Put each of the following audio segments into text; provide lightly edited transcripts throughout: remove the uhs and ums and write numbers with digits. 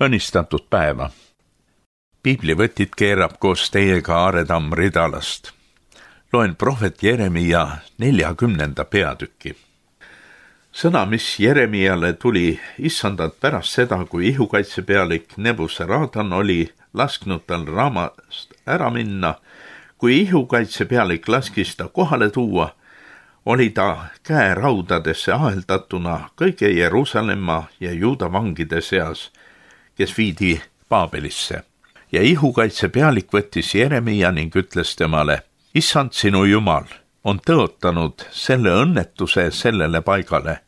õnnistatud päeva. Piiblivõtit keerab koos teiega Aare Tamm Ridalast. Loen prohvet Jeremia 40. peatüki. Sõna, mis Jeremiale tuli issandalt pärast seda, kui ihukaitsepealik Nebuzaradan oli lasknud tal raamast ära minna. Kui ihukaitsepealik laskis ta kohale tuua, oli ta käeraudadesse aheldatuna kõige Jeruusalemma ja Juuda vangide seas, kes viidi Paabelisse. Ja ihukaitsepealik võttis Jeremia ning ütles temale: Issand, sinu Jumal on tõotanud selle õnnetuse sellele paigale.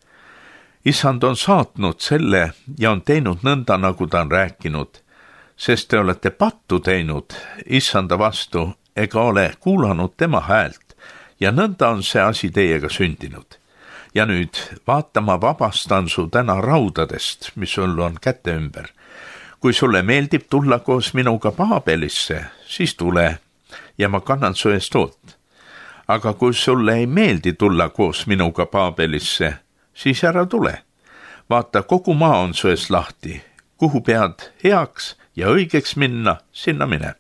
Issand on saatnud selle ja on teinud nõnda, nagu ta on rääkinud, sest te olete pattu teinud Issanda vastu ega ole kuulanud tema häält. Ja nõnda on see asi teiega sündinud. Ja nüüd vaata, ma vabastan su täna raudadest, mis sul on käte ümber. Kui sulle meeldib tulla koos minuga Paabelisse, siis tule ja ma kannan su eest hoolt. Aga kui sulle ei meeldi tulla koos minuga Paabelisse, siis ära tule. Vaata, kogu maa on su eest lahti. Kuhu pead heaks ja õigeks minna, sinna mine.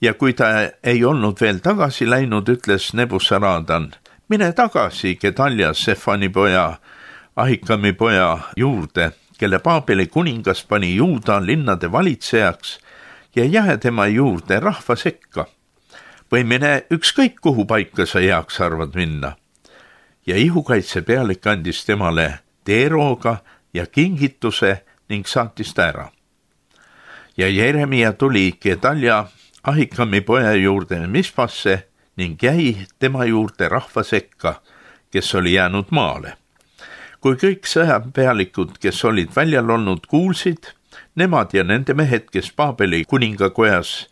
Ja kui ta ei olnud veel tagasi läinud, ütles Nebuzaradan: mine tagasi Gedalja, Sefani poja, Ahikami poja juurde, kelle Paabeli kuningas pani Juuda linnade valitsejaks, ja jää tema juurde rahva sekka. Või mine ükskõik kuhu paika sa heaks arvad minna. Ja ihukaitsepealik andis temale teerooga ja kingituse ning saatis ta ära. Ja Jeremia tuli Gedalja Ahikami poja juurde Mispasse ning jäi tema juurde rahva sekka, kes oli jäänud maale. Kui kõik sõjapealikud, kes olid väljal olnud, kuulsid, nemad ja nende mehed, kes Paabeli kuningakojas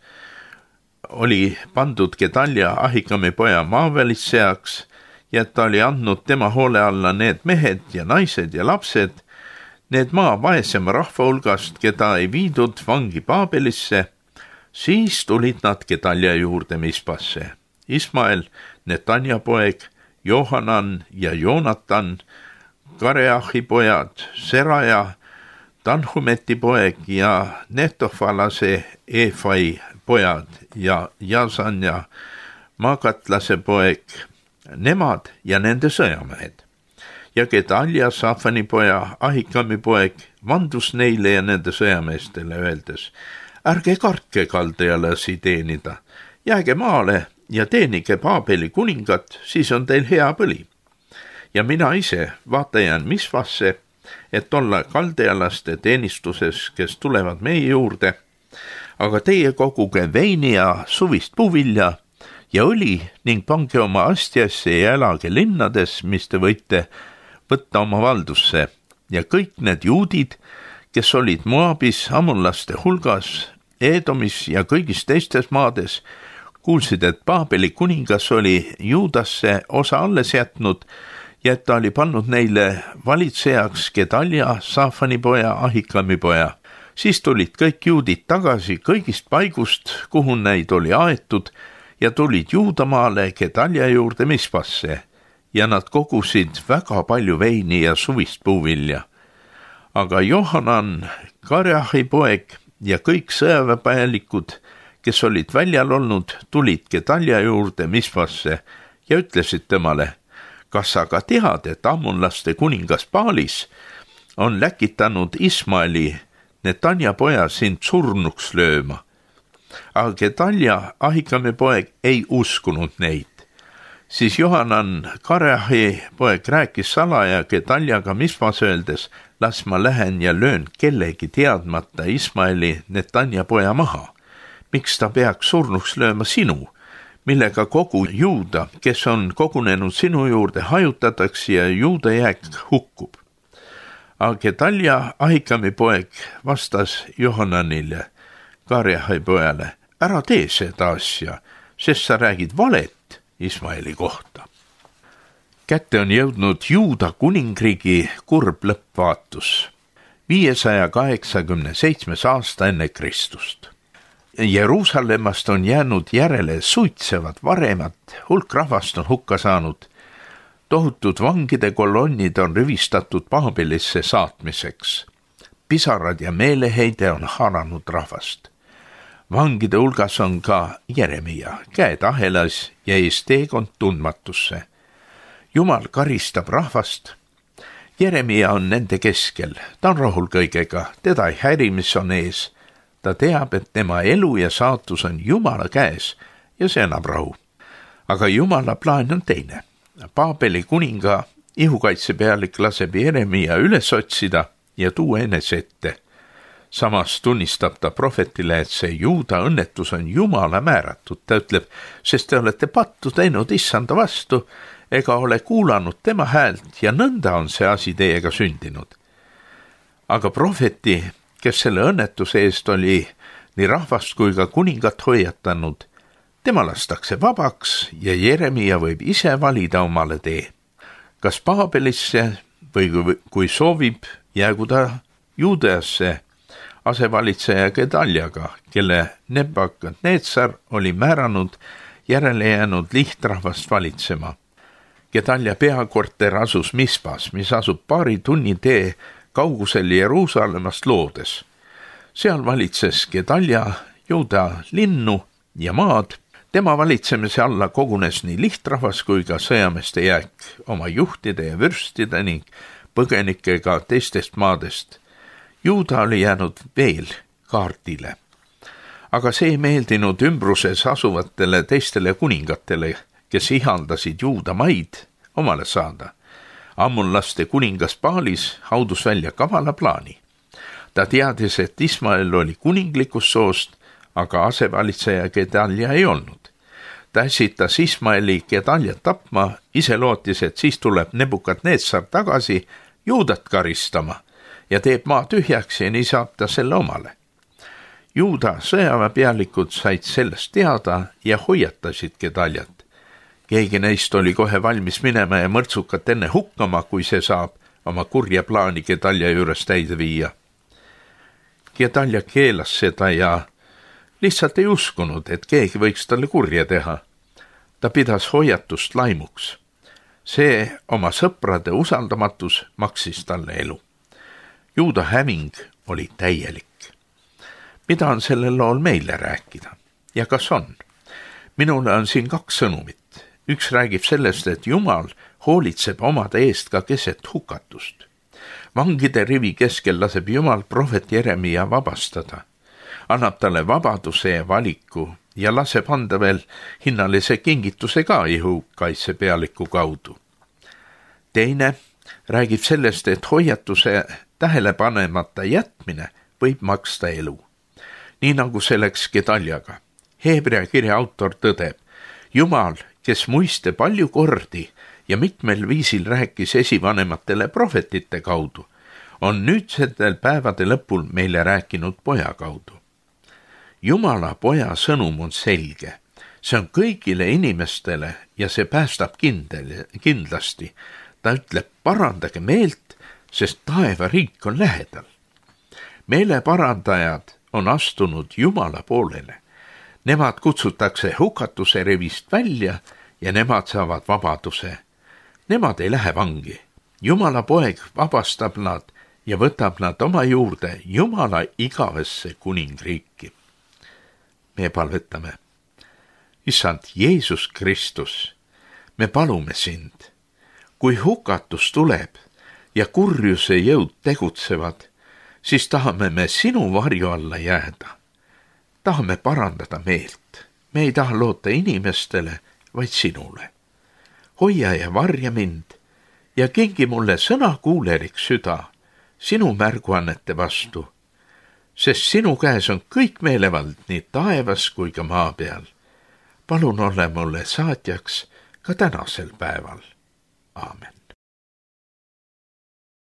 oli pandud Gedalja Ahikami poja maavälitsejaks ja ta oli andnud tema hoole alla need mehed ja naised ja lapsed, need maa vaesema rahva hulgast, keda ei viidud vangi Paabelisse, siis tulid nad Gedalja juurde Mispasse. Ismael, Netanja poeg, Johanan ja Joonatan, Kareahi pojad, Seraja, Tanhumeti poeg ja Netofalase Efai pojad ja Jasan ja Magatlase poeg, nemad ja nende sõjamehed. Ja Gedalja, Safani poja, Ahikami poeg vandus neile ja nende sõjameestele öeldes: ärge kartke kaldealasi teenida, jääge maale ja teenige Paabeli kuningat, siis on teil hea põli. Ja mina ise vaata jään Mispasse, et olla kaldealaste teenistuses, kes tulevad meie juurde, aga teie koguge veini ja suvist puuvilja ja õli ning pange oma astjasse ja elage linnades, mis te võite võtta oma valdusse. Ja kõik need juudid, kes olid Moabis, ammonlaste hulgas, Edomis ja kõigis teistes maades, kuulsid, et Paabeli kuningas oli Juudasse osa alles jätnud ja et ta oli pannud neile valitsejaks Gedalja, Safani poja, Ahikami poja. Siis tulid kõik juudid tagasi kõigist paigust, kuhu neid oli aetud, ja tulid Juudamaale Gedalja juurde Mispasse ja nad kogusid väga palju veini ja suvist puuvilja. Aga Johanan, Kareahi poeg ja kõik sõjaväepealikud, kes olid väljal olnud, tulid Gedalja juurde Mispasse ja ütlesid temale: kas sa ka tead, et ammonlaste kuningas Paalis on läkitanud Ismaeli, Netanja poja, sind surnuks lööma? Aga Gedalja, Ahikami poeg, ei uskunud neid. Siis Johanan, Kareahi poeg, rääkis salaja Gedaljaga Mispas öeldes: las ma lähen ja löön kellegi teadmata Ismaeli, Netanja poja maha. Miks ta peaks surnuks lööma sinu, millega kogu Juuda, kes on kogunenud sinu juurde, hajutatakse ja Juuda jääk hukkub? Aga Gedalja, Ahikami poeg, vastas Johananile, Kareahi pojale: ära tee seda asja, sest sa räägid valet Ismaeli kohta. Kätte on jõudnud Juuda kuningriigi kurb lõppvaatus. 587. aasta enne Kristust. Jeruusalemmast on jäänud järele suitsevad varemad, hulk rahvast on hukka saanud. Tohutud vangide kolonnid on rivistatud Paabelisse saatmiseks. pisarad ja meeleheide on haaranud rahvast. Vangide hulgas on ka Jeremia, käed ahelas ja ees teekond tundmatusse. Jumal karistab rahvast. Jeremia on nende keskel, ta on rahul kõigega, teda ei häiri, mis on ees. Ta teab, et tema elu ja saatus on Jumala käes ja see annab rahu. Aga Jumala plaan on teine. Paabeli kuninga ihukaitsepealik laseb Jeremia üles otsida ja tuua enese ette. Samas tunnistab ta prohvetile, et see Juuda õnnetus on Jumala määratud. Ta ütleb, sest te olete pattu teinud issanda vastu ega ole kuulanud tema häält ja nõnda on see asi teiega sündinud. Aga prohveti, kes selle õnnetuse eest oli nii rahvast kui ka kuningat hoiatanud, tema lastakse vabaks ja Jeremia võib ise valida omale tee. Kas Paabelisse või kui soovib, jäägu ta Juudeasse asevalitseja Gedaljaga, kelle Nebukadnetsar oli määranud järele jäänud lihtrahvast valitsema. Gedalja peakorter asus Mispas, mis asub paari tunni tee kaugusel Jeruusalemmast loodes. Seal valitses Gedalja Juuda linnu ja maad. Tema valitsemise alla kogunes nii lihtrahvas kui ka sõjameeste jääk oma juhtide ja vürstide ning põgenikega teistest maadest. Juuda oli jäänud veel kaardile. Aga see ei meeldinud ümbruses asuvatele teistele kuningatele, kes ihaldasid Juuda maid omale saada. Ammonlaste kuningas Paalis haudus välja kavala plaani. Ta teadis, et Ismael oli kuninglikust soost, aga asevalitseja Gedalja ei olnud. Ta äsitas Ismaeli Gedaljat tapma, ise lootis, et siis tuleb Nebukadnetsar tagasi Juudat karistama ja teeb maa tühjaks ja nii saab ta selle omale. Juuda sõjaväepealikud said sellest teada ja hoiatasid Gedaljat. Keegi neist oli kohe valmis minema ja mõrtsukat enne hukkama, kui see saab oma kurja plaani Gedalja juures täide viia. Gedalja keelas seda ja lihtsalt ei uskunud, et keegi võiks talle kurja teha. Ta pidas hoiatust laimuks. See oma sõprade usaldamatus maksis talle elu. Juuda häving oli täielik. Mida on sellel lool meile rääkida? Ja kas on? Minule on siin 2 sõnumit. Üks räägib sellest, et Jumal hoolitseb omade eest ka keset hukatust. Vangide rivi keskel laseb Jumal prohvet Jeremia vabastada. Annab talle vabaduse ja valiku ja laseb anda veel hinnalise kingituse ka ihukaitsepealiku kaudu. Teine räägib sellest, et hoiatuse tähelepanemata jätmine võib maksta elu. Nii nagu see läks Gedaljaga. Heebrea kirja autor tõdeb, Jumal, kes muiste palju kordi ja mitmel viisil rääkis esivanematele prohvetite kaudu, on nüüdsetel päevade lõpul meile rääkinud poja kaudu. Jumala poja sõnum on selge. See on kõigile inimestele ja see päästab kindlasti. Ta ütleb, parandage meelt, sest taevariik on lähedal. Meeleparandajad on astunud Jumala poolele. Nemad kutsutakse hukatuse rivist välja ja nemad saavad vabaduse. Nemad ei lähe vangi. Jumala poeg vabastab nad ja võtab nad oma juurde Jumala igavesse kuningriiki. Me palvetame. Issand Jeesus Kristus, me palume sind. Kui hukatus tuleb ja kurjuse jõud tegutsevad, siis tahame me sinu varju alla jääda. Tahame parandada meelt. Me ei taha loota inimestele, vaid sinule. Hoia ja varja mind ja kingi mulle sõnakuulelik süda sinu märguannete vastu, sest sinu käes on kõik meelevald nii taevas kui ka maa peal. Palun ole mulle saatjaks ka tänasel päeval. Aamen.